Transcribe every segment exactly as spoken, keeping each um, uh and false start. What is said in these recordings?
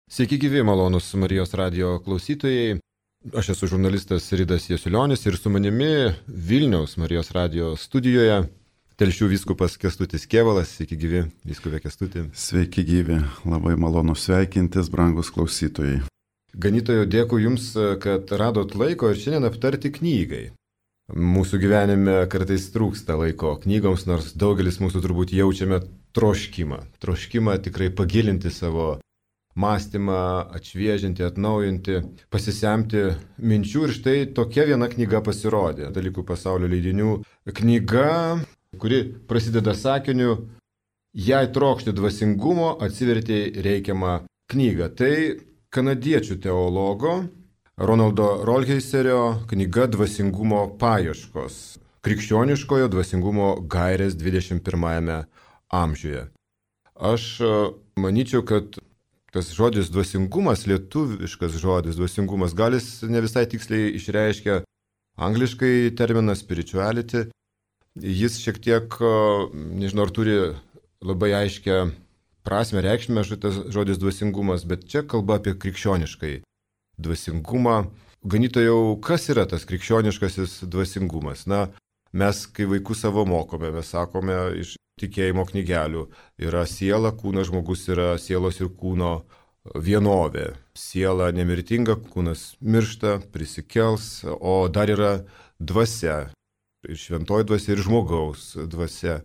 Sveiki gyvi, malonus Marijos radijo klausytojai. Aš esu žurnalistas Ridas Jasiulionis ir su manimi Vilniaus Marijos radijo studijoje Telšių vyskupas Kęstutis Kėvalas. Sveiki gyvi, vyskupė Kęstuti. Sveiki gyvi, labai malonu sveikintis, brangus klausytojai. Ganytojo, dėkui Jums, kad radot laiko ir šiandien aptarti knygai. Mūsų gyvenime kartais trūksta laiko knygoms, nors daugelis mūsų turbūt jaučiame troškimą. Troškimą tikrai pagilinti savo mąstymą, atšviežinti, atnaujinti, pasisemti minčių ir štai tokia viena knyga pasirodė. Dalykų pasaulio leidinių knyga, kuri prasideda sakiniu: jei trokšti dvasingumo, atsivertė reikiamą knygą. Tai kanadiečių teologo Ronaldo Rolheiserio knyga Dvasingumo paieškos. Krikščioniškojo dvasingumo gairės dvidešimt pirmajame amžiuje. Aš manyčiau, kad tas žodis dvasingumas, lietuviškas žodis dvasingumas, gal jis ne visai tiksliai išreiškia angliškai terminą spirituality. Jis šiek tiek, nežinau, ar turi labai aiškę prasme, reikšmę šitas žodis dvasingumas, bet čia kalba apie krikščioniškai dvasingumą. Ganytojau, kas yra tas krikščioniškasis dvasingumas? Na, mes, kai vaikus savo mokome, mes sakome iš tikėjimo knygelių, yra siela, kūnas, žmogus yra sielos ir kūno vienovė. Siela nemirtinga, kūnas miršta, prisikels, o dar yra dvasia, ir šventoji dvasia, ir žmogaus dvasia.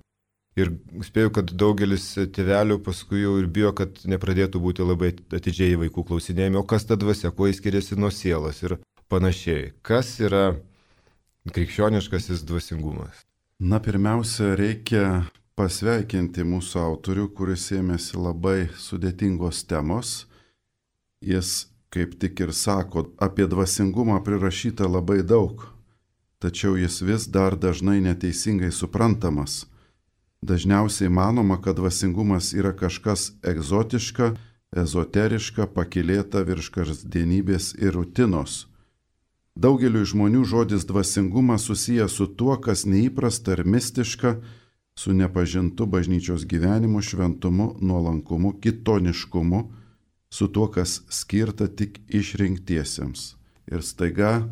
Ir spėju, kad daugelis tėvelių paskui jau ir bijo, kad nepradėtų būti labai atidžiai vaikų klausinėjami, o kas ta dvasia, kuo jis skiriasi nuo sielos ir panašiai. Kas yra krikščioniškasis dvasingumas? Na, pirmiausia, reikia pasveikinti mūsų autorių, kuris ėmėsi labai sudėtingos temos. Jis, kaip tik ir sako, apie dvasingumą prirašyta labai daug, tačiau jis vis dar dažnai neteisingai suprantamas. Dažniausiai manoma, kad dvasingumas yra kažkas egzotiška, ezoteriška, pakylėta virš kasdienybės ir rutinos. Daugeliui žmonių žodis dvasingumas susijęs su tuo, kas neįprasta ir mistiška, su nepažintu bažnyčios gyvenimu, šventumu, nuolankumu, kitoniškumu, su tuo, kas skirta tik išrinktiesiems. Ir staiga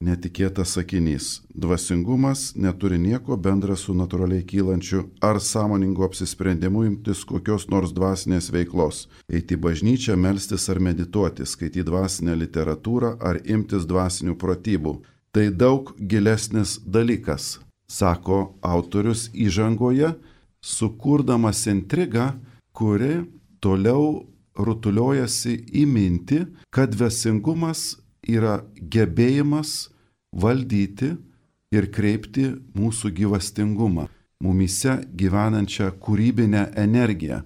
netikėtas sakinys: dvasingumas neturi nieko bendra su natūraliai kylančiu ar sąmoningu apsisprendimu imtis kokios nors dvasinės veiklos, eiti į bažnyčią, melstis ar medituoti, skaityti dvasinę literatūrą ar imtis dvasinių pratybų. Tai daug gilesnis dalykas, sako autorius įžangoje, sukurdamas intrigą, kuri toliau rutuliojasi į mintį, kad dvasingumas yra gebėjimas valdyti ir kreipti mūsų gyvastingumą, mumyse gyvenančią kūrybinę energiją,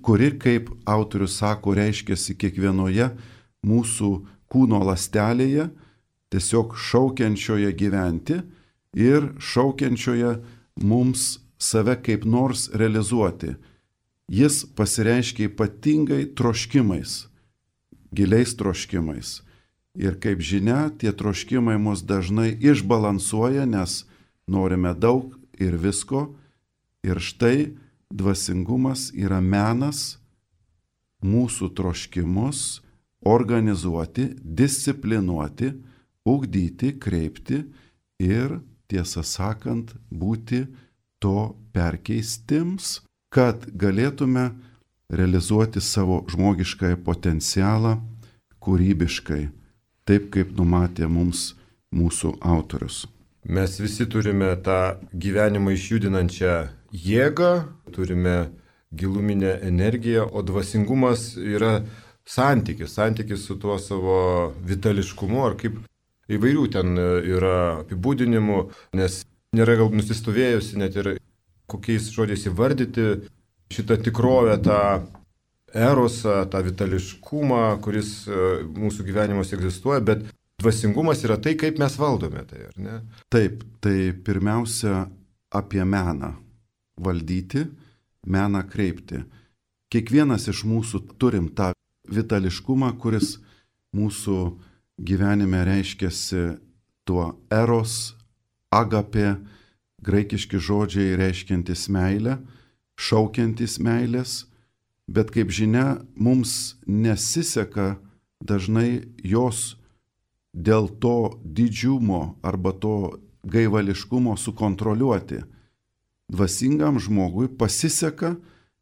kuri, kaip autorius sako, reiškiasi kiekvienoje mūsų kūno ląstelėje, tiesiog šaukiančioje gyventi ir šaukiančioje mums save kaip nors realizuoti. Jis pasireiškia ypatingai troškimais, giliais troškimais. Ir kaip žinia, tie troškimai mus dažnai išbalansuoja, nes norime daug ir visko. Ir štai dvasingumas yra menas mūsų troškimus organizuoti, disciplinuoti, ugdyti, kreipti ir, tiesą sakant, būti to perkeistims, kad galėtume realizuoti savo žmogiškąjį potencialą kūrybiškai, taip kaip numatė mums mūsų autorius. Mes visi turime tą gyvenimą išjudinančią jėgą, turime giluminę energiją, o dvasingumas yra santykis, santykis su tuo savo vitališkumu, ar kaip įvairių ten yra apibūdinimų, nes nėra gal nusistovėjusi net ir kokiais žodžiais įvardyti šitą tikrovę, tą erosą, tą vitališkumą, kuris mūsų gyvenimuose egzistuoja, bet dvasingumas yra tai, kaip mes valdome tai, ar ne? Taip, tai pirmiausia apie meną valdyti, meną kreipti. Kiekvienas iš mūsų turim tą vitališkumą, kuris mūsų gyvenime reiškiasi tuo eros, agapė, graikiški žodžiai reiškiantis meilę, šaukiantis meilės, bet kaip žinia, mums nesiseka dažnai jos dėl to didžiumo arba to gaivališkumo sukontroliuoti. Dvasingam žmogui pasiseka,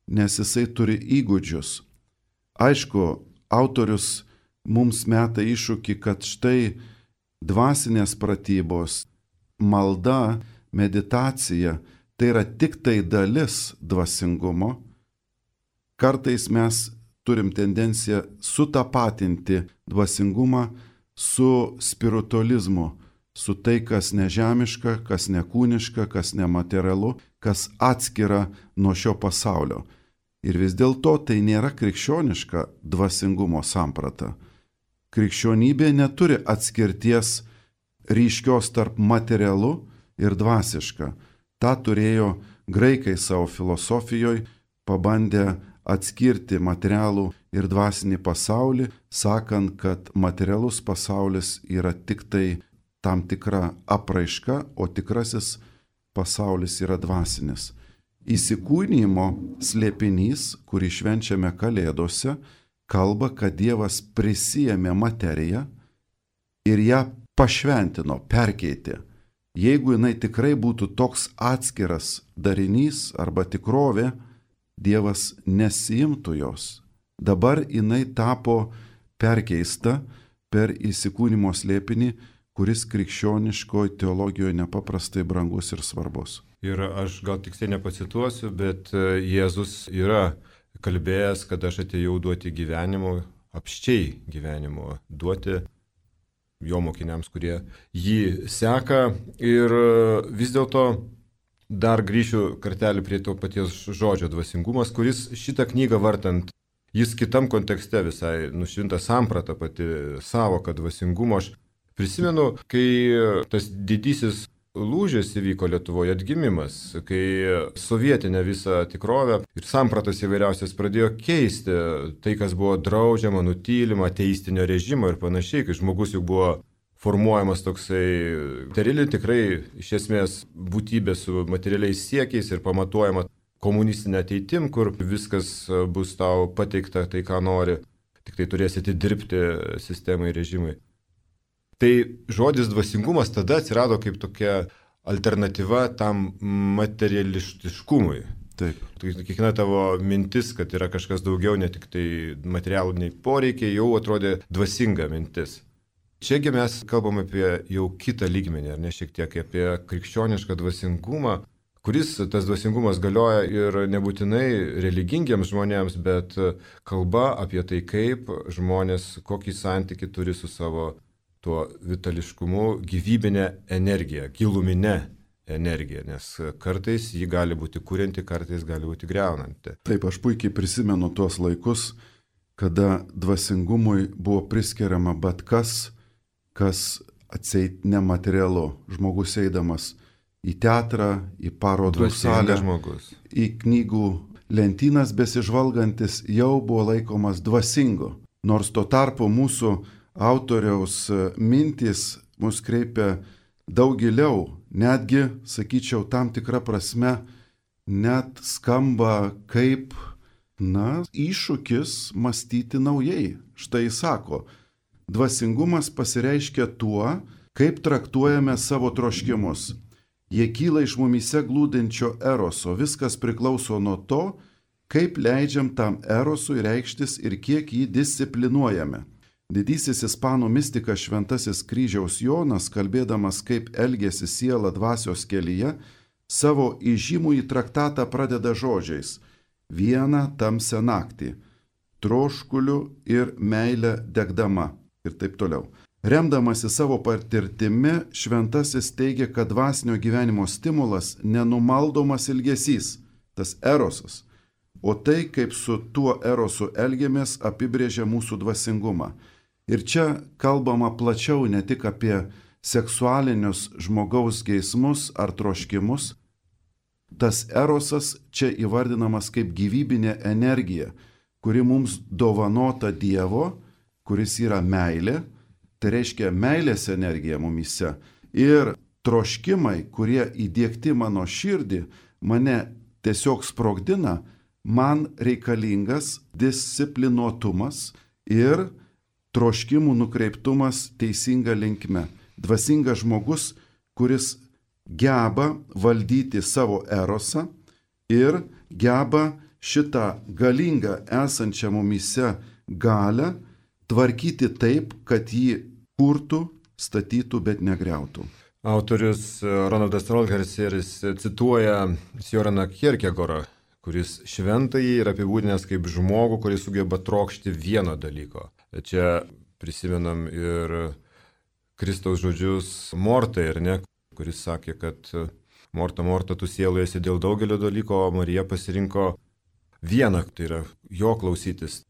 nes jisai turi įgūdžius. Aišku, autorius mums meta iššūkį, kad štai dvasinės pratybos, malda, meditacija, tai yra tik tai dalis dvasingumo. Kartais mes turim tendenciją sutapatinti dvasingumą su spiritualizmu, su tai, kas nežemiška, kas nekūniška, kas nematerialu, kas atskira nuo šio pasaulio. Ir vis dėlto tai nėra krikščioniška dvasingumo samprata. Krikščionybė neturi atskirties ryškios tarp materialu ir dvasiška. Ta turėjo graikai savo filosofijoje, pabandę atskirti materialų ir dvasinį pasaulį, sakant, kad materialus pasaulis yra tik tai tam tikra apraiška, o tikrasis pasaulis yra dvasinis. Įsikūnijimo slėpinys, kurį švenčiame Kalėdose, kalba, kad Dievas prisijėmė materiją ir ją pašventino, perkeitė. Jeigu jinai tikrai būtų toks atskiras darinys arba tikrovė, Dievas nesiimtų jos. Dabar jinai tapo perkeista per įsikūnimo slėpinį, kuris krikščioniškoje teologijoje nepaprastai brangus ir svarbus. Ir aš gal tiksliai nepacituosiu, bet Jėzus yra kalbėjęs, kad aš atėjau duoti gyvenimo, apščiai gyvenimo, duoti jo mokiniams, kurie jį seka. Ir vis dėlto dar grįšiu kartelį prie to paties žodžio dvasingumas, kuris šitą knygą vartant, jis kitam kontekste visai nušvinta samprata pati savoka dvasingumo. Aš prisimenu, kai tas didysis lūžis įvyko Lietuvoje, atgimimas, kai sovietinė visa tikrovė ir sampratas įvairiausias pradėjo keisti tai, kas buvo draudžiama, nutylima, ateistinio režimo ir panašiai, kai žmogus jau buvo formuojamas toksai materiali, tikrai iš esmės būtybė su materialiais siekiais ir pamatuojama komunistinė ateitim, kur viskas bus tau pateikta tai, ką nori, tik tai turėsi atidirbti sistemai, režimai. Tai žodis dvasingumas tada atsirado kaip tokia alternatyva tam materialistiškumui. Taip. Kiekviena tavo mintis, kad yra kažkas daugiau, ne tik tai materialiniai poreikiai, jau atrodė dvasinga mintis. Čiagi mes kalbam apie jau kitą lygmenį, ar ne šiek tiek apie krikščionišką dvasingumą, kuris tas dvasingumas galioja ir nebūtinai religingiems žmonėms, bet kalba apie tai, kaip žmonės, kokį santykį turi su savo tuo vitališkumu, gyvybinė energija, giluminė energija, nes kartais ji gali būti kurianti, kartais gali būti greunanti. Taip, aš puikiai prisimenu tuos laikus, kada dvasingumui buvo priskiriama bet kas, kas atseit nematerialu. Žmogus eidamas į teatrą, į parodų salę, į knygų lentynas besižvalgantis jau buvo laikomas dvasingu. Nors tuo tarpu mūsų autoriaus mintys mus kreipia daug giliau, netgi, sakyčiau, tam tikrą prasme, net skamba kaip, na, iššūkis mąstyti naujai. Štai sako, dvasingumas pasireiškia tuo, kaip traktuojame savo troškimus. Jie kyla iš mumyse glūdinčio eroso, viskas priklauso nuo to, kaip leidžiam tam erosui reikštis ir kiek jį disciplinuojame. Didysis ispanų mistikas Šventasis Kryžiaus Jonas, kalbėdamas, kaip elgėsi siela dvasios kelyje, savo įžymųjį traktatą pradeda žodžiais: vieną tamsią naktį, troškuliu ir meilę degdama ir taip toliau. Remdamasi savo patirtimi, Šventasis teigia, kad dvasinio gyvenimo stimulas nenumaldomas ilgesys, tas erosas, o tai, kaip su tuo erosu elgiamės, apibrėžia mūsų dvasingumą. Ir čia kalbama plačiau ne tik apie seksualinius žmogaus geismus ar troškimus. Tas erosas čia įvardinamas kaip gyvybinė energija, kuri mums dovanota Dievo, kuris yra meilė, tai reiškia meilės energija mumyse. Ir troškimai, kurie įdiegti mano širdį, mane tiesiog sprogdina, man reikalingas disciplinuotumas ir troškimų nukreiptumas teisinga linkme. Dvasingas žmogus, kuris geba valdyti savo erosą ir geba šitą galingą esančią mumyse galę tvarkyti taip, kad jį kurtų, statytų, bet negriautų. Autorius Ronaldas Rolherseris cituoja Sjoraną Kierkegorą, kuris šventąjį yra apibūdinęs kaip žmogų, kuris sugeba trokšti vieno dalyko. Čia prisimenam ir Kristaus žodžius Mortai, ar ne, kuris sakė, kad Morta, Morta, tu sieloje esi dėl daugelio dalyko, o Marija pasirinko vieną, tai yra jo klausytis.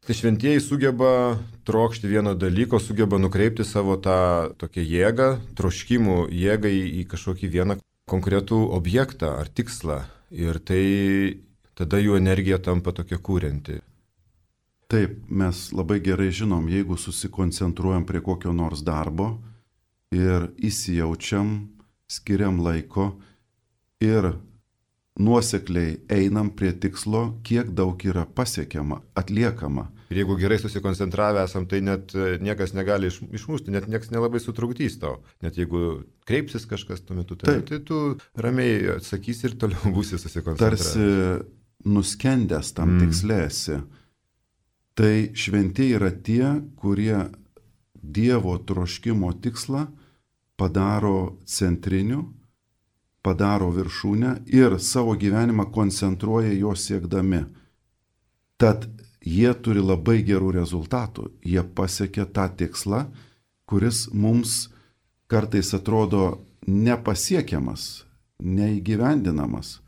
Tai šventieji sugeba trokšti vieno dalyko, sugeba nukreipti savo tą tokią jėgą, troškimų jėgą į, į kažkokį vieną konkretų objektą ar tikslą. Ir tai tada jų energija tampa tokia kūrenti. Taip, mes labai gerai žinom, jeigu susikoncentruojam prie kokio nors darbo ir įsijaučiam, skiriam laiko ir nuosekliai einam prie tikslo, kiek daug yra pasiekiama, atliekama. Ir jeigu gerai susikoncentravę esam, tai net niekas negali iš, išmušti, net niekas nelabai sutrukdys tau. Net jeigu kreipsis kažkas tuo metu, tai, tai tu ramiai atsakysi ir toliau būsi susikoncentravęs. Tarsi nuskendęs tam mm. tikslėsi. Tai šventieji yra tie, kurie Dievo troškimo tikslą padaro centriniu, padaro viršūnę ir savo gyvenimą koncentruoja jo siekdami. Tad jie turi labai gerų rezultatų. Jie pasiekia tą tikslą, kuris mums kartais atrodo nepasiekiamas, neįgyvendinamas.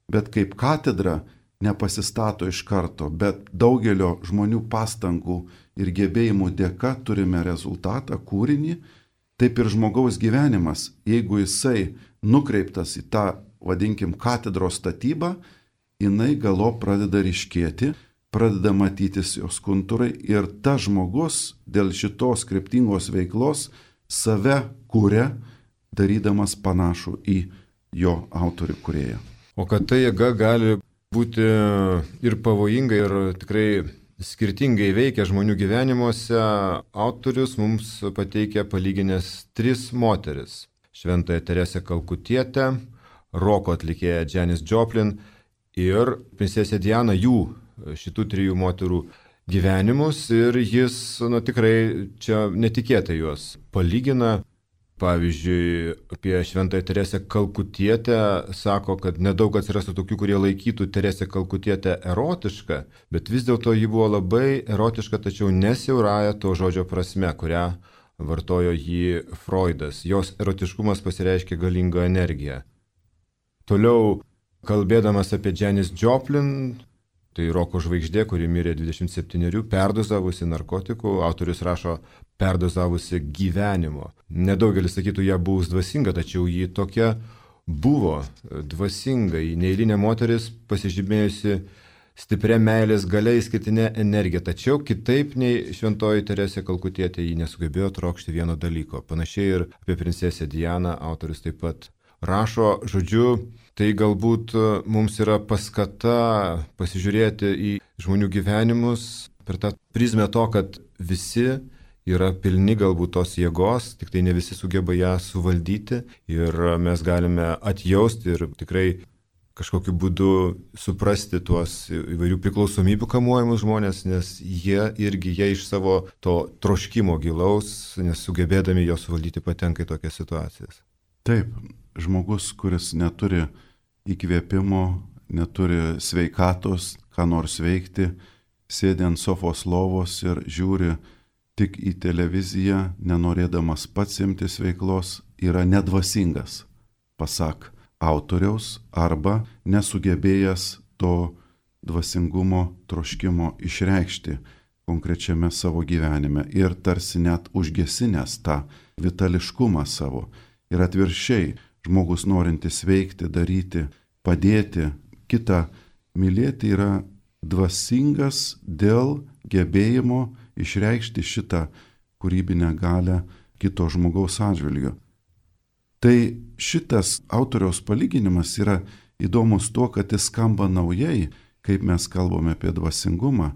Bet kaip katedra nepasistato iš karto, bet daugelio žmonių pastangų ir gebėjimų dėka turime rezultatą, kūrinį. Taip ir žmogaus gyvenimas, jeigu jisai nukreiptas į tą, vadinkim, katedros statybą, jinai galo pradeda ryškėti, pradeda matytis jos kontūrai ir tas žmogus dėl šitos kryptingos veiklos save kūrė, darydamas panašų į jo autorių kūrėją. O kad ta jėga gali būti ir pavojinga, ir tikrai skirtingai veikia žmonių gyvenimuose, autorius mums pateikia palyginęs tris moteris. Šventąją Teresę Kalkutietę, roko atlikėją Janis Joplin ir princesę Dianą, jų šitų trijų moterų gyvenimus. Ir jis, nu, tikrai čia netikėtai juos palygina. Pavyzdžiui, apie Šventąją Teresę Kalkutietę sako, kad nedaug atsirastų tokių, kurie laikytų Teresę Kalkutietę erotišką, bet vis dėlto ji buvo labai erotiška, tačiau nesiaurąja to žodžio prasme, kurią vartojo jį Freudas. Jos erotiškumas pasireiškia galingą energiją. Toliau, kalbėdamas apie Janis Joplin, tai roko žvaigždė, kuri mirė dvidešimt septynerių, perdozavusi narkotikų, autorius rašo perdozavusi gyvenimo. Nedaugelis sakytų ją buvus dvasinga, tačiau ji tokia buvo dvasinga, ji neeilinė moteris, pasižymėjusi stipria meilės galia, išskirtinė energija. Tačiau kitaip nei Šventoji Teresė Kalkutietė, ji nesugebėjo trokšti vieno dalyko. Panašiai ir apie princesę Dianą autorius taip pat rašo. Žodžiu, tai galbūt mums yra paskata pasižiūrėti į žmonių gyvenimus per tą prizmę to, kad visi yra pilni galbūt tos jėgos, tik tai ne visi sugeba ją suvaldyti ir mes galime atjausti ir tikrai kažkokiu būdu suprasti tuos įvairių priklausomybių kamuojamus žmonės, nes jie irgi jie iš savo to troškimo gilaus, nesugebėdami jo suvaldyti, patenka į tokias situacijas. Taip, žmogus, kuris neturi įkvėpimo, neturi sveikatos, ką nors veikti, sėdi ant sofos lovos ir žiūri tik į televiziją, nenorėdamas pats imtis veiklos, yra nedvasingas, pasak autoriaus, arba nesugebėjęs to dvasingumo troškimo išreikšti konkrečiame savo gyvenime ir tarsi net užgesinęs tą vitališkumą savo. Ir atvirkščiai, žmogus norintis veikti, daryti, padėti, kitą mylėti yra dvasingas dėl gebėjimo išreikšti šitą kūrybinę galią kito žmogaus atžvilgiu. Tai šitas autoriaus palyginimas yra įdomus tuo, kad jis skamba naujai, kaip mes kalbame apie dvasingumą,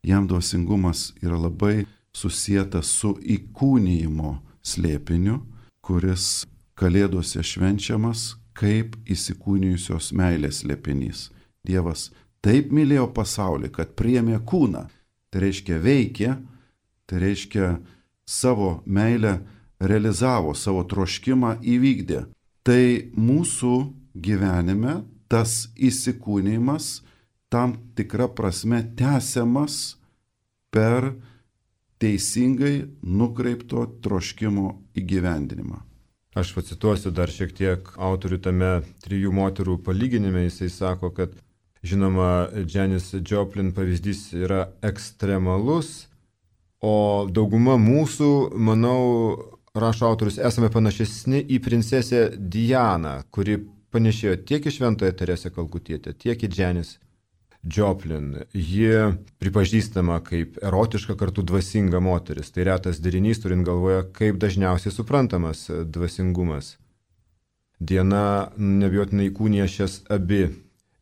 jam dvasingumas yra labai susijęs su įkūnijimo slėpiniu, kuris Kalėdose švenčiamas kaip įsikūnijusios meilės slėpinys. Dievas taip mylėjo pasaulį, kad priėmė kūną. Tai reiškia veikė, tai reiškia savo meilę realizavo, savo troškimą įvykdė. Tai mūsų gyvenime tas įsikūnijimas tam tikra prasme tęsiamas per teisingai nukreipto troškimo įgyvendinimą. Aš pacituosiu dar šiek tiek autorių tame trijų moterų palyginime. Jisai sako, kad žinoma, Janis Joplin pavyzdys yra ekstremalus, o dauguma mūsų, manau, rašo autorius, esame panašesni į princesę Dianą, kuri panešėjo tiek į Šventąją Teresę Kalkutietę, tiek į Janis Joplin. Ji pripažįstama kaip erotiška kartu dvasinga moteris. Tai retas derinys, turint galvoje, kaip dažniausiai suprantamas dvasingumas. Diana neabejotinai įkūnija šias abi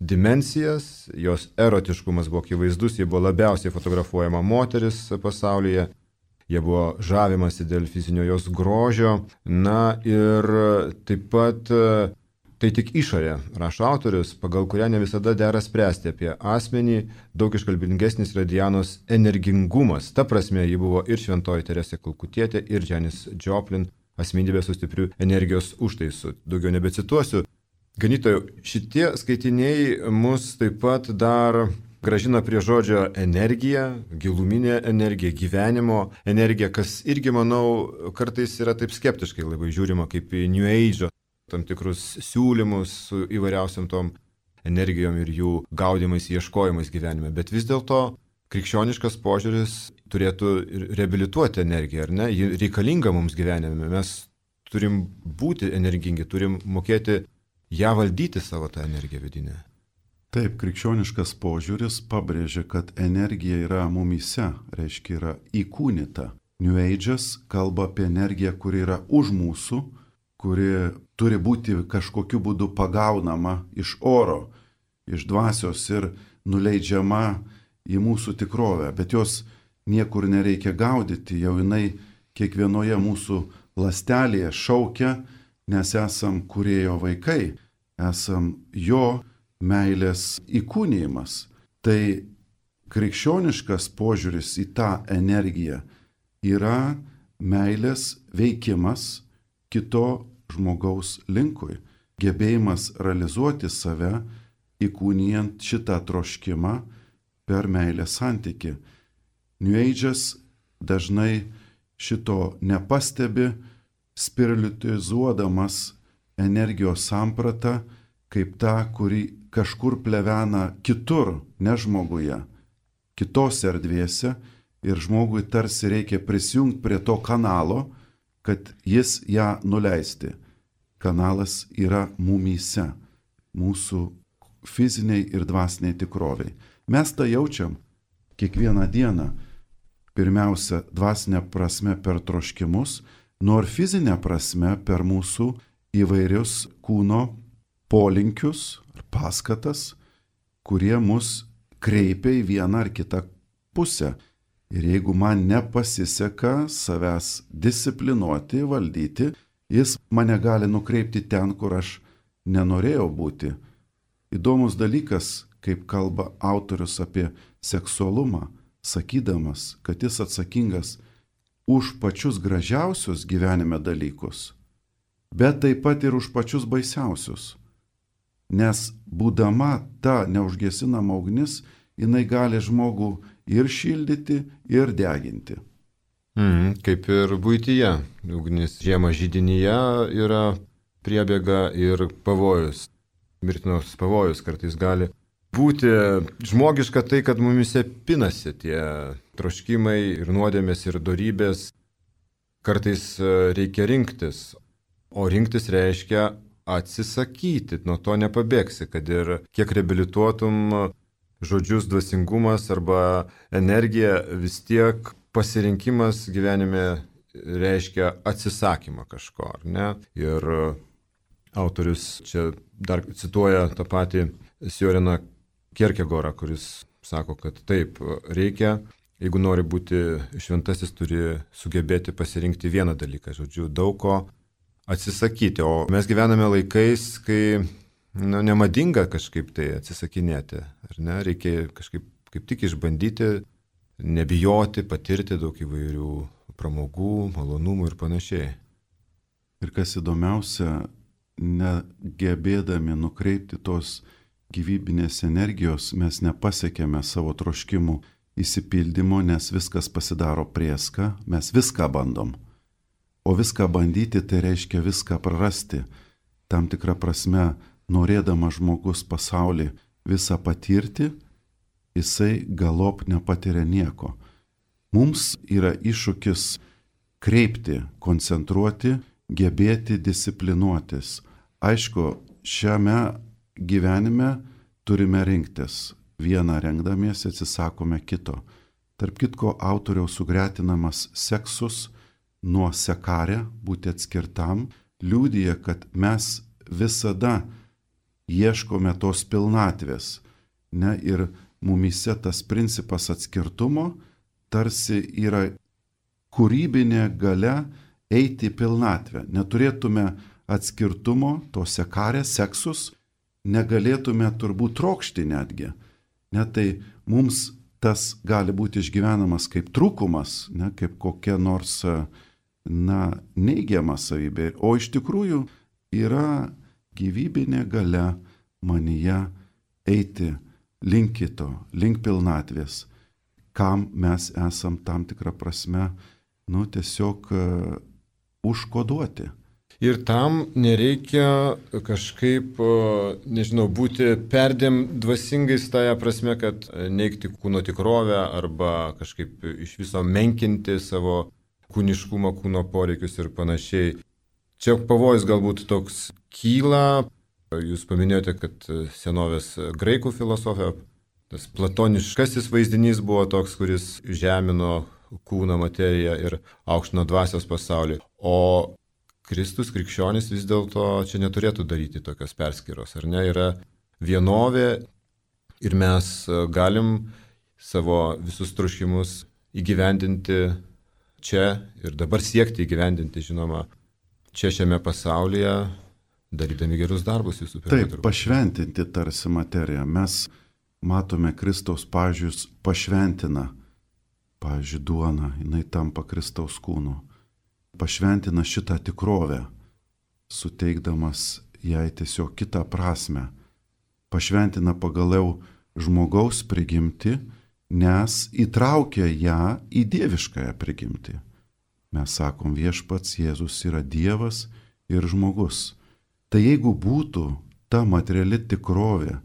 dimensijas, jos erotiškumas buvo akivaizdus, ji buvo labiausiai fotografuojama moteris pasaulyje, jie buvo žavimasi dėl fizinio jos grožio, na ir taip pat tai tik išorė, rašo autorius, pagal kurią ne visada dera spręsti apie asmenį, daug iškalbingesnis yra Dianos energingumas. Ta prasme, ji buvo ir Šventoji Teresė Kalkutietė, ir Janis Joplin, asmenybė su stipriu energijos užtaisu. Daugiau nebecituosiu. Ganytojau, šitie skaitiniai mus taip pat dar gražina prie žodžio energija, giluminė energija, gyvenimo energija, kas irgi, manau, kartais yra taip skeptiškai labai žiūrima kaip į New Age tam tikrus siūlymus su įvairiausiam tom energijom ir jų gaudimais, ieškojimais gyvenime. Bet vis dėlto krikščioniškas požiūris turėtų reabilituoti energiją, ar ne? Ji reikalinga mums gyvenime. Mes turim būti energingi, turim mokėti ją valdyti, savo tą energiją vidinę. Taip, krikščioniškas požiūris pabrėžia, kad energija yra mumyse, reiškia yra įkūnyta. New Age'as kalba apie energiją, kuri yra už mūsų, kuri turi būti kažkokiu būdu pagaunama iš oro, iš dvasios ir nuleidžiama į mūsų tikrovę. Bet jos niekur nereikia gaudyti, jau jinai kiekvienoje mūsų ląstelėje šaukia, nes esam kūrėjo vaikai, esam jo meilės įkūnijimas. Tai krikščioniškas požiūris į tą energiją yra meilės veikimas kito žmogaus linkui, gebėjimas realizuoti save, įkūnijant šitą troškimą per meilės santykį. New Age'as dažnai šito nepastebi, spiritualizuodamas energijos sampratą kaip tą, kuri kažkur plevena kitur, ne žmoguje, kitose erdvėse, ir žmogui tarsi reikia prisijungti prie to kanalo, kad jis ją nuleisti. Kanalas yra mumyse, mūsų fiziniai ir dvasiniai tikroviai. Mes tą jaučiam kiekvieną dieną, pirmiausia, dvasinė prasme per troškimus, nor fizinė prasme per mūsų įvairius kūno polinkius ar paskatas, kurie mus kreipia į vieną ar kitą pusę. Ir jeigu man nepasiseka savęs disciplinuoti, valdyti, jis mane gali nukreipti ten, kur aš nenorėjau būti. Įdomus dalykas, kaip kalba autorius apie seksualumą, sakydamas, kad jis atsakingas už pačius gražiausius gyvenime dalykus, bet taip pat ir už pačius baisiausius. Nes būdama ta neužgesinama ugnis, jinai gali žmogų ir šildyti, ir deginti. Mm, kaip ir buityje. Ugnis žiemą židinyje yra priebėga ir pavojus. Mirtinos pavojus kartais gali būti. Žmogiška tai, kad mumise pinasi tie troškimai ir nuodėmės ir dorybės. Kartais reikia rinktis. O rinktis reiškia atsisakyti. Nuo to nepabėgsi, kad ir kiek reabilituotum žodžius dvasingumas arba energija, vis tiek pasirinkimas gyvenime reiškia atsisakymą kažko, ar ne? Ir autorius čia dar cituoja tą patį Sjoreną Kierkegorą, kuris sako, kad taip, reikia, jeigu nori būti šventasis, turi sugebėti pasirinkti vieną dalyką, žodžiu, daug ko atsisakyti. O mes gyvename laikais, kai nu, nemadinga kažkaip tai atsisakinėti, ar ne? Reikia kažkaip kaip tik išbandyti, nebijoti, patirti daug įvairių pramogų, malonumų ir panašiai. Ir kas įdomiausia, negebėdami nukreipti tos gyvybinės energijos, mes nepasiekėme savo troškimų įsipildymo, nes viskas pasidaro prieska, mes viską bandom. O viską bandyti tai reiškia viską prarasti. Tam tikrą prasme, norėdamas žmogus pasaulį visą patirti, jisai galop nepatiria nieko. Mums yra iššūkis kreipti, koncentruoti, gebėti disciplinuotis. Aišku, šiame gyvenime turime rinktis. Vieną rengdamiesi atsisakome kito. Tarp kitko, autoriaus sugretinamas seksus nuo sekarė, būti atskirtam, liudija, kad mes visada ieškome tos pilnatvės. Ne? Ir mumyse tas principas atskirtumo tarsi yra kūrybinė galia eiti į pilnatvę. Neturėtume atskirtumo, to sekarė, seksus, negalėtume turbūt trokšti netgi. Ne, tai mums tas gali būti išgyvenamas kaip trūkumas, ne, kaip kokia nors na, neigiama savybė. O iš tikrųjų yra gyvybinė galia manyje eiti link kito, link pilnatvės, kam mes esam tam tikrą prasme, nu, tiesiog uh, užkoduoti. Ir tam nereikia kažkaip, nežinau, būti perdėm dvasingais tąją prasme, kad neigti kūno tikrovę arba kažkaip iš viso menkinti savo kūniškumą, kūno poreikius ir panašiai. Čia pavojus galbūt toks kyla. Jūs paminėjote, kad senovės graikų filosofija, tas platoniškasis vaizdinys buvo toks, kuris žemino kūną, materiją ir aukštino dvasios pasaulį. O Kristus, krikščionis vis dėlto čia neturėtų daryti tokios perskyros, ar ne? Yra vienovė ir mes galim savo visus troškimus įgyvendinti čia ir dabar siekti įgyvendinti, žinoma, čia šiame pasaulyje, darydami gerus darbus visų pirma. Taip, pašventinti tarsi materiją. Mes matome Kristaus pavyzdžius pašventina, pavyzdžiui, duona, jinai tampa Kristaus kūnu. Pašventina šitą tikrovę, suteikdamas jai tiesiog kitą prasme. Pašventina pagaliau žmogaus prigimtį, nes įtraukia ją į dieviškąją prigimtį. Mes sakom, viešpats Jėzus yra Dievas ir žmogus. Tai jeigu būtų ta materiali tikrovė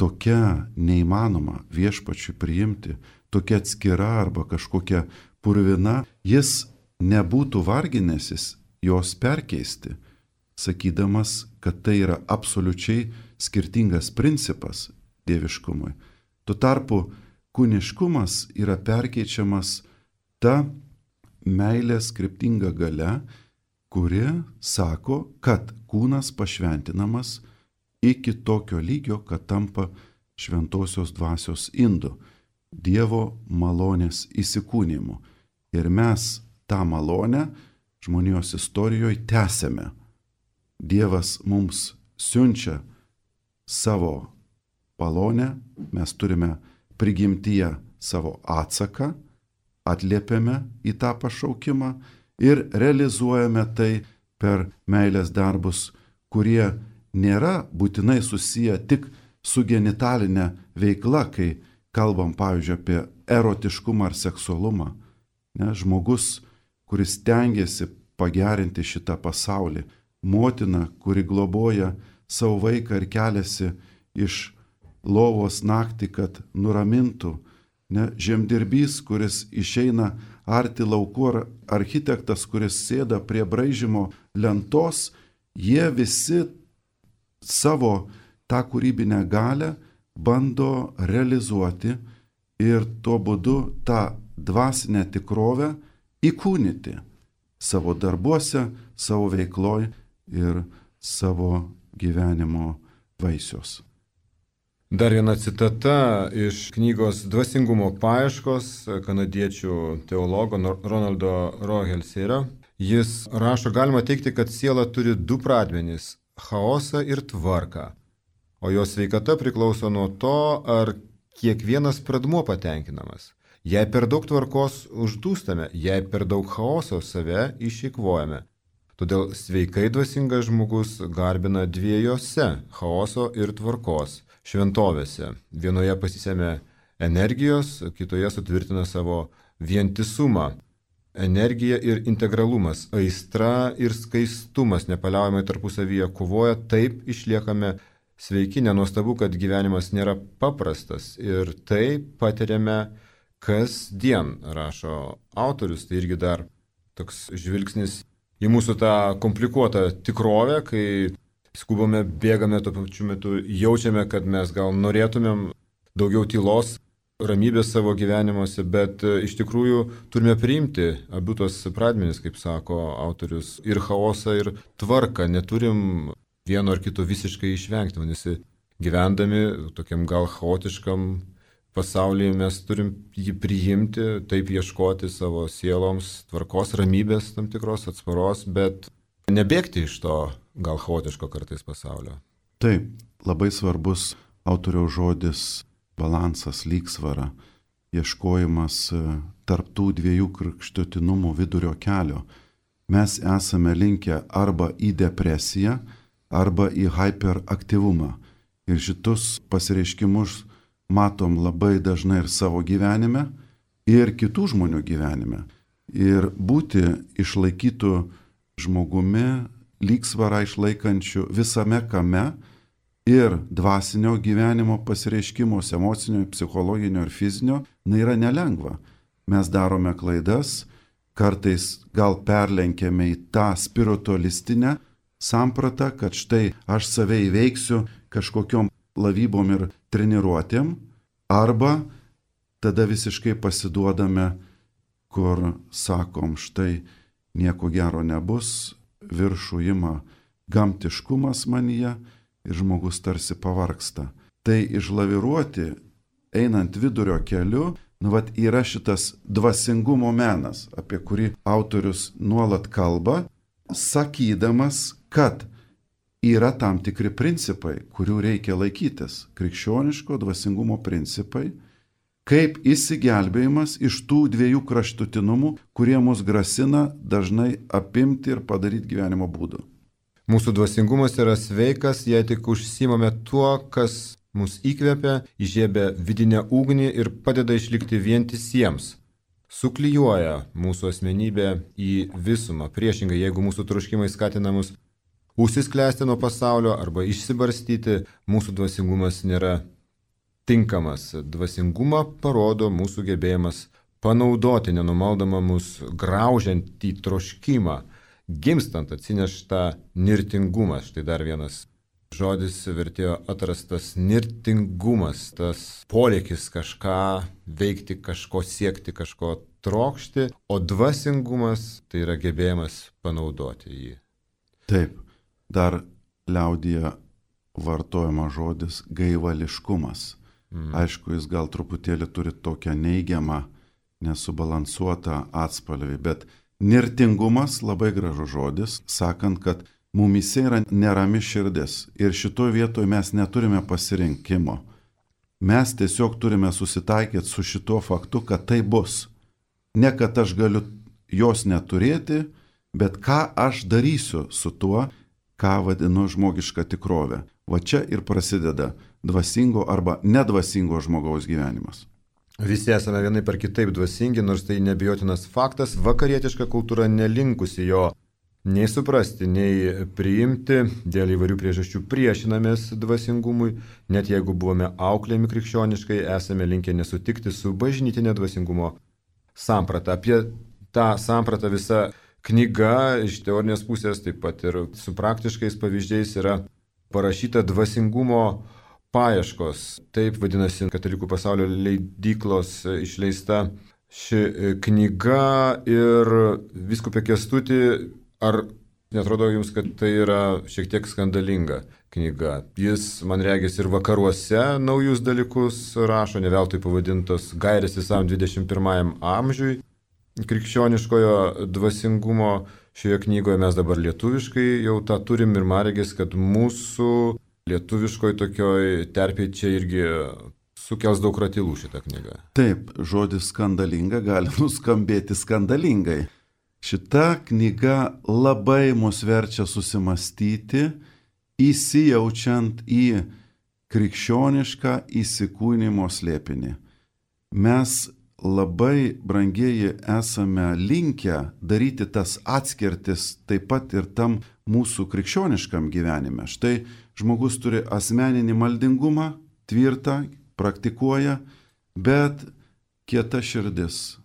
tokia neįmanoma viešpačiui priimti, tokia atskira arba kažkokia purvina, jis nebūtų varginęsis jos perkeisti, sakydamas, kad tai yra absoliučiai skirtingas principas dieviškumui. Tuo tarpu kūniškumas yra perkeičiamas ta meilės kryptinga galia, kuri sako, kad kūnas pašventinamas iki tokio lygio, kad tampa šventosios dvasios indu, Dievo malonės įsikūnimu. Ir mes tą malonę žmonijos istorijoje tęsiame. Dievas mums siunčia savo malonę, mes turime prigimtyje savo atsaką, atliepiame į tą pašaukimą ir realizuojame tai per meilės darbus, kurie nėra būtinai susiję tik su genitalinė veikla, kai kalbam, pavyzdžiui, apie erotiškumą ar seksualumą. Ne, žmogus, kuris tengiasi pagerinti šitą pasaulį, motina, kuri globoja savo vaiką ir keliasi iš lovos naktį, kad nuramintų, ne, žemdirbys, kuris išeina arti laukų, ar architektas, kuris sėda prie braižymo lentos, jie visi savo tą kūrybinę galią bando realizuoti ir tuo būdu tą dvasinę tikrovę įkūnyti savo darbuose, savo veikloj ir savo gyvenimo vaisius. Dar viena citata iš knygos Dvasingumo paieškos kanadiečių teologo Ronaldo Rogelserio. Jis rašo, galima teikti, kad siela turi du pradmenis - chaosą ir tvarką, o jos sveikata priklauso nuo to, ar kiekvienas pradmuo patenkinamas. Jei per daug tvarkos uždūstame, jei per daug chaoso save išeikvojame. Todėl sveikai dvasingas žmogus garbina dviejose - chaoso ir tvarkos šventovėse. Vienoje pasisėmė energijos, kitoje sutvirtina savo vientisumą. Energija ir integralumas, aistra ir skaistumas nepaliaujamai tarpusavyje kovoja, taip išliekame sveiki. Nenuostabu, kad gyvenimas nėra paprastas ir tai patiriame kasdien, rašo autorius. Tai irgi dar toks žvilgsnis į mūsų tą komplikuotą tikrovę, kai skubame, bėgame, tuo pačiu metu jaučiame, kad mes gal norėtumėm daugiau tylos, ramybės savo gyvenimuose, bet iš tikrųjų turime priimti abu tos pradmenis, kaip sako autorius, ir chaosą, ir tvarką. Neturim vieno ar kito visiškai išvengti, vadinasi, gyvendami tokiam gal chaotiškam pasaulyje mes turim jį priimti, taip ieškoti savo sieloms tvarkos, ramybės tam tikros, atsparos, bet nebėgti iš to gal chaotiško kartais pasaulio. Taip, labai svarbus autoriaus žodis balansas, lygsvara, ieškojimas tarptų dviejų kraštutinumų vidurio kelio. Mes esame linkę arba į depresiją, arba į hyperaktyvumą. Ir šitus pasireiškimus matom labai dažnai ir savo gyvenime, ir kitų žmonių gyvenime. Ir būti išlaikytų žmogumi, lygsvarą išlaikančių visame kame ir dvasinio gyvenimo pasireiškimus, emocinio, psichologinio ir fizinio, na, yra nelengva. Mes darome klaidas, kartais gal perlenkėme į tą spiritualistinę sampratą, kad štai aš save įveiksiu kažkokiom lavybom ir treniruotėm, arba tada visiškai pasiduodame, kur sakom, štai nieko gero nebus, viršų ima gamtiškumas manyje ir žmogus tarsi pavargsta. Tai išlaviruoti, einant vidurio keliu, nu vat yra šitas dvasingumo menas, apie kurį autorius nuolat kalba, sakydamas, kad yra tam tikri principai, kurių reikia laikytis. Krikščioniško dvasingumo principai, kaip išsigelbėjimas iš tų dviejų kraštutinumų, kurie mus grasina dažnai apimti ir padaryti gyvenimo būdu. Mūsų dvasingumas yra sveikas, jei tik užsiimame tuo, kas mus įkvepia, įžiebia vidinę ugnį ir padeda išlikti vientisiems. Suklijuoja mūsų asmenybę į visumą. Priešingai, jeigu mūsų troškimai skatina mus užsisklęsti nuo pasaulio arba išsibarstyti, mūsų dvasingumas nėra tinkamas. Dvasingumą parodo mūsų gebėjimas panaudoti nenumaldomą mus graužiantį troškimą, gimstant atsineštą nirtingumą. Štai dar vienas žodis vertėjo atrastas - nirtingumas, tas poreikis kažką veikti, kažko siekti, kažko trokšti, o dvasingumas tai yra gebėjimas panaudoti jį. Taip, dar liaudyje vartojama žodis gaivališkumas. Mm. Aišku, jis gal truputėlį turi tokią neigiamą, nesubalansuotą atspalvį, bet nirtingumas labai gražus žodis, sakant, kad mumyse yra nerami širdis ir šitoje vietoje mes neturime pasirinkimo. Mes tiesiog turime susitaikyti su šituo faktu, kad tai bus. Ne kad aš galiu jos neturėti, bet ką aš darysiu su tuo, ką vadinu žmogiška tikrovė. Va čia ir prasideda dvasingo arba nedvasingo žmogaus gyvenimas. Visi esame vienaip ar kitaip dvasingi, nors tai nebijotinas faktas, vakarietiška kultūra nelinkusi jo nei suprasti, nei priimti, dėl įvairių priežasčių priešinamės dvasingumui, net jeigu buvome auklėjami krikščioniškai, esame linkę nesutikti su bažnytinė dvasingumo samprata. Apie tą sampratą visa knyga iš teorinės pusės, taip pat ir su praktiškais pavyzdžiais yra parašyta Dvasingumo paieškos. Taip vadinasi Katalikų pasaulio leidyklos išleista ši knyga. Ir vyskupė Kęstuti, ar netrodo jums, kad tai yra šiek tiek skandalinga? knyga. Jis, man regis, ir vakaruose naujus dalykus rašo, ne veltui pavadintos Gairės visam dvidešimt pirmajam amžiui. Krikščioniškojo dvasingumo šioje knygoje mes dabar lietuviškai jau tą turim ir man regis, kad mūsų lietuviškoj tokioj terpėje čia irgi sukels daug ratilų šitą knygą. Taip, žodis skandalinga gali nuskambėti skandalingai. Šita knyga labai mus verčia susimastyti, įsijaučiant į krikščionišką įsikūnimo slėpinį. Mes labai, brangieji, esame linkę daryti tas atskirtis taip pat ir tam mūsų krikščioniškam gyvenime. Štai žmogus turi asmeninį maldingumą, tvirtą, praktikuoja, bet kieta širdis,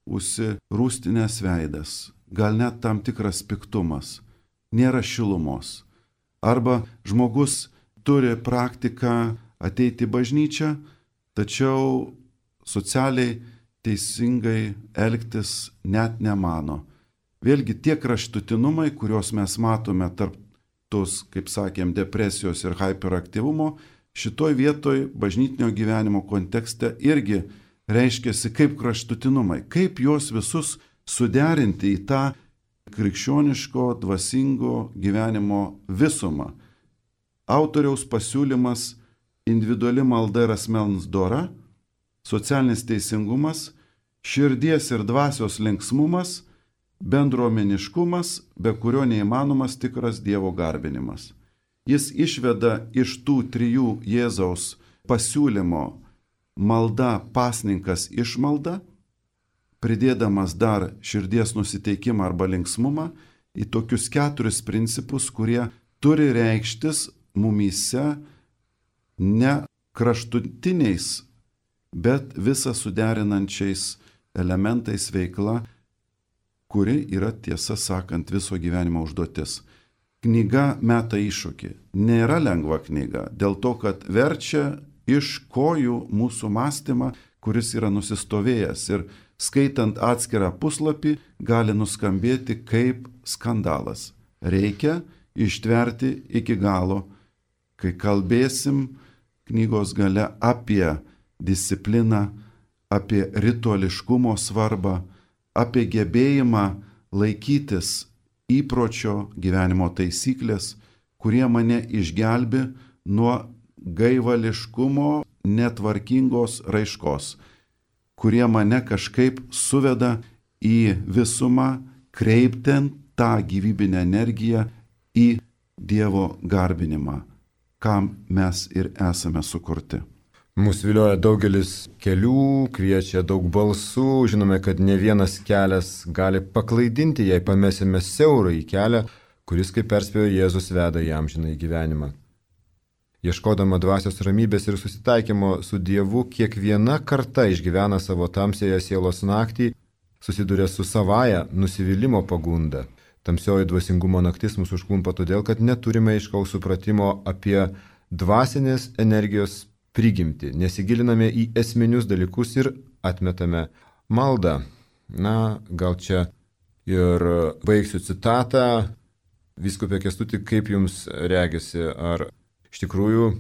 užsirūstinės veidas, gal net tam tikras piktumas, nėra šilumos. Arba žmogus turi praktiką ateiti į bažnyčią, tačiau socialiai teisingai elgtis net nemano. Vėlgi tie kraštutinumai, kuriuos mes matome tarp tos, kaip sakėm, depresijos ir hyperaktyvumo, šitoj vietoj bažnytinio gyvenimo kontekste irgi reiškiasi kaip kraštutinumai, kaip juos visus suderinti į tą krikščioniško, dvasingo gyvenimo visumą. Autoriaus pasiūlymas individuali malda ir asmens dora, socialinis teisingumas, širdies ir dvasios linksmumas, bendruomeniškumas, be kurio neįmanomas tikras Dievo garbinimas. Jis išveda iš tų trijų Jėzaus pasiūlymo malda, pasninkas, išmalda, pridėdamas dar širdies nusiteikimą arba linksmumą į tokius keturis principus, kurie turi reikštis mumyse ne kraštutiniais, bet visą suderinančiais elementais veikla, kuri yra, tiesą sakant, viso gyvenimo užduotis. Knyga meta iššūkį. Nėra lengva knyga, dėl to, kad verčia iš kojų mūsų mąstymą, kuris yra nusistovėjęs ir skaitant atskirą puslapį gali nuskambėti kaip skandalas. Reikia ištverti iki galo, kai kalbėsim knygos gale apie discipliną, apie rituališkumo svarbą, apie gebėjimą laikytis įpročio gyvenimo taisyklės, kurie mane išgelbi nuo gaivališkumo netvarkingos raiškos, kurie mane kažkaip suveda į visumą, kreiptent tą gyvybinę energiją į Dievo garbinimą, kam mes ir esame sukurti. Mūsų vilioja daugelis kelių, kviečia daug balsų, žinome, kad ne vienas kelias gali paklaidinti, jei pamesime siaurą į kelią, kuris, kaip perspėjo Jėzus, veda į amžinąjį gyvenimą. Ieškodama dvasios ramybės ir susitaikymo su Dievu, kiekviena karta išgyvena savo tamsėje sielos naktį, susiduria su savaja nusivylimo pagunda. Tamsioji dvasingumo naktis mūsų užklumpa todėl, kad neturime aiškaus supratimo apie dvasinės energijos prigimtį, nesigiliname į esminius dalykus ir atmetame maldą. Na, gal čia ir baigsiu citatą. Vyskupė Kęstuti, kaip jums regisi, ar iš tikrųjų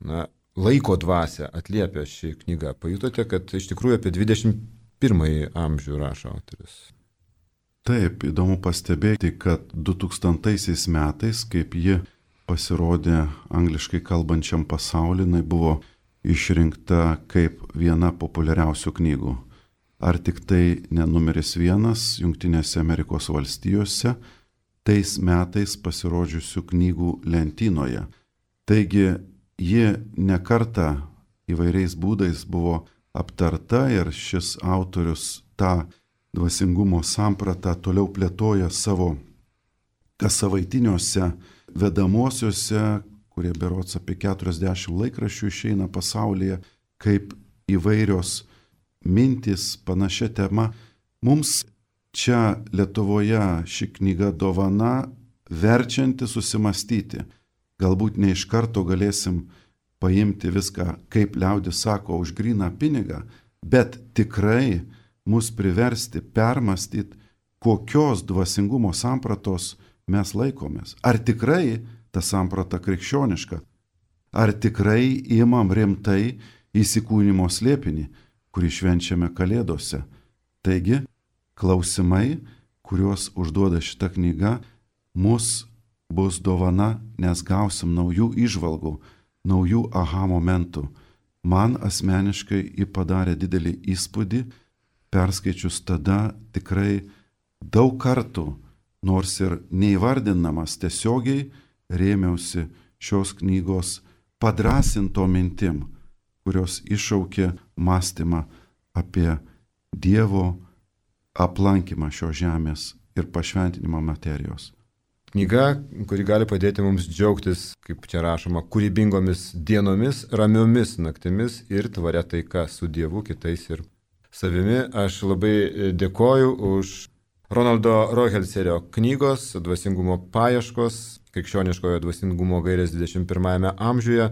na, laiko dvasia atliepia ši knyga? Pajutote, kad iš tikrųjų apie dvidešimt pirmąjį amžių rašo autorius? Taip, įdomu pastebėti, kad du tūkstantaisiais metais, kaip ji pasirodė angliškai kalbančiam pasauliui, jinai buvo išrinkta kaip viena populiariausių knygų. Ar tik tai ne numeris vienas Jungtinėse Amerikos valstijose tais metais pasirodžiusių knygų lentynoje. Taigi ji nekartą įvairiais būdais buvo aptarta ir šis autorius tą dvasingumo sampratą toliau plėtoja savo kassavaitiniuose vedamosiuose, kurie berods apie keturiasdešimt laikraščių išeina pasaulyje, kaip įvairios mintys panašia tema. Mums čia Lietuvoje ši knyga dovana verčianti susimastyti. Galbūt ne iš karto galėsim paimti viską, kaip liaudis sako, už gryną pinigą, bet tikrai mus priversti permastyti, kokios dvasingumo sampratos mes laikomės. Ar tikrai ta samprata krikščioniška? Ar tikrai imam rimtai įsikūnymo slėpinį, kurį švenčiame Kalėdose? Taigi, klausimai, kuriuos užduoda šita knyga, mus bus dovana, nes gausim naujų įžvalgų, naujų aha momentų. Man asmeniškai ji padarė didelį įspūdį, perskaičius tada tikrai daug kartų, nors ir neįvardinamas tiesiogiai, rėmiausi šios knygos padrasinto mintim, kurios iššaukė mąstymą apie Dievo aplankymą šios žemės ir pašventinimą materijos. Knyga, kuri gali padėti mums džiaugtis, kaip čia rašoma, kūrybingomis dienomis, ramiomis naktimis ir tvaria taika su Dievu, kitais ir savimi. Aš labai dėkoju už Ronaldo Rohelserio knygos Dvasingumo paieškos, krikščioniškojo dvasingumo gairės dvidešimt pirmajame amžiuje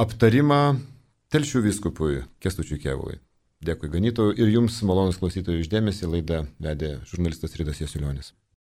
aptarimą Telšių vyskupui Kęstučiui Kėvalui. Dėkui ganytojui ir jums, malonus klausytojų, už dėmesį. Laidą vedė žurnalistas Ridas Jasiulionis.